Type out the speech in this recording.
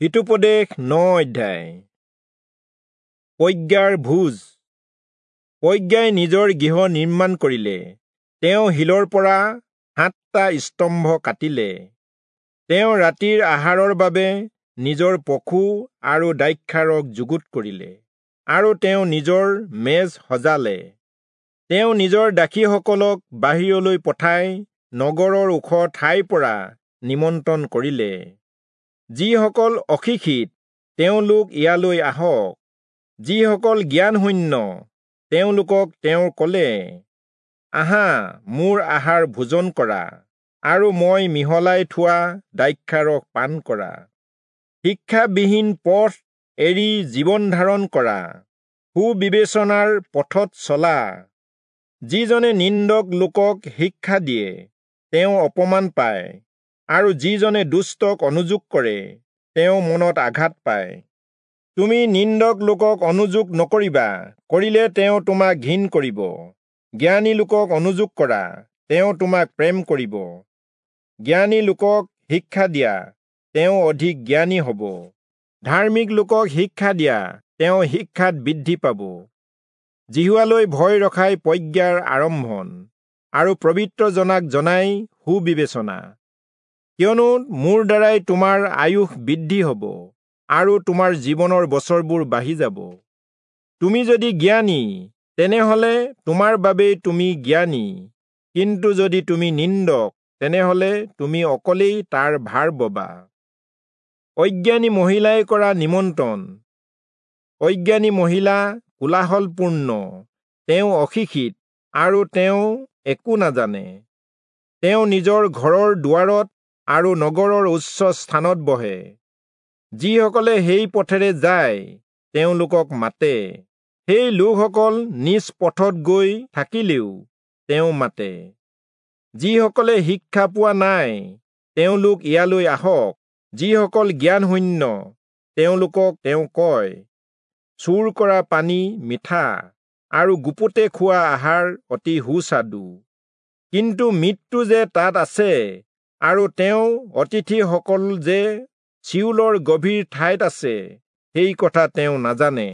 হিতোপদেশ 9 অধ্যায়। প্ৰজ্ঞাৰ ভোজ। প্ৰজ্ঞাই নিজৰ গৃহ নিৰ্মাণ কৰিলে, তেওঁ শিলৰ পৰা 7টা স্তম্ভ কাটিলে। তেওঁ ৰাতিৰ আহাৰৰ বাবে নিজৰ পশু আৰু দ্ৰাক্ষাৰস যুগুত কৰিলে, আৰু তেওঁ নিজৰ মেজ সজালে। তেওঁ নিজৰ দাসীসকলক বাহিৰলৈ পঠাই নগৰৰ ওখ ঠাইৰ পৰা নিমন্ত্ৰণ কৰিলে। যিসকল অশিক্ষিত তেওঁলোক ইয়ালৈ আহক, যিসকল জ্ঞানশূন্য তেওঁলোকক তেওঁ ক'লে, আহা, মোৰ আহাৰ ভোজন কৰা, আৰু মই মিহলাই থোৱা দ্ৰাক্ষাৰস পান কৰা। শিক্ষাবিহীন পথ এৰি জীৱন ধাৰণ কৰা, সুবিবেচনাৰ পথত চলা। যিজনে নিন্দক লোকক শিক্ষা দিয়ে তেওঁ অপমান পায়, আৰু যিজনে দুষ্টক অনুযোগ কৰে তেওঁ মনত আঘাত পায়। তুমি নিন্দক লোকক অনুযোগ নকৰিবা, কৰিলে তেওঁ তোমাক ঘিণ কৰিব। জ্ঞানী লোকক অনুযোগ কৰা, তেওঁ তোমাক প্ৰেম কৰিব। জ্ঞানী লোকক শিক্ষা দিয়া, তেওঁ অধিক জ্ঞানী হ'ব। ধাৰ্মিক লোকক শিক্ষা দিয়া, তেওঁ শিক্ষাত বৃদ্ধি পাব। যিহোৱালৈ ভয় ৰখাই প্ৰজ্ঞাৰ আৰম্ভণ, আৰু পবিত্ৰ জনাক জনাই সুবিবেচনা। কিয়নো মোৰ দ্বাৰাই তোমাৰ আয়ুস বৃদ্ধি হ'ব, আৰু তোমাৰ জীৱনৰ বছৰবোৰ বাঢ়ি যাব। তুমি যদি জ্ঞানী, তেনেহলে তোমাৰ বাবেই তুমি জ্ঞানী, কিন্তু যদি তুমি নিন্দক, তেনেহলে তুমি অকলেই তাৰ ভাৰ ববা। অজ্ঞানী মহিলাই কৰা নিমন্ত্ৰণ। অজ্ঞানী মহিলা কোলাহলপূৰ্ণ, তেওঁ অশিক্ষিত আৰু তেওঁ একো নাজানে। তেওঁ নিজৰ ঘৰৰ দুৱাৰত আৰু নগৰৰ উচ্চ স্থানত বহে। যিসকলে সেই পথেৰে যায় তেওঁলোকক মাতে, সেই লোকসকল নিজ পথত গৈ থাকিলেও তেওঁ মাতে। যিসকলে শিক্ষা পোৱা নাই তেওঁলোক ইয়ালৈ আহক, যিসকল জ্ঞানশূন্য তেওঁলোকক তেওঁ কয়, চুৰ কৰা পানী মিঠা, আৰু গুপুতে খোৱা আহাৰ অতি সুস্বাদু। কিন্তু মৃত্যু যে তাত আছে, আৰু তেওঁ অতিথিসকল যে চিউলৰ গভীৰ ঠাইত আছে, সেই কথা তেওঁ নাজানে।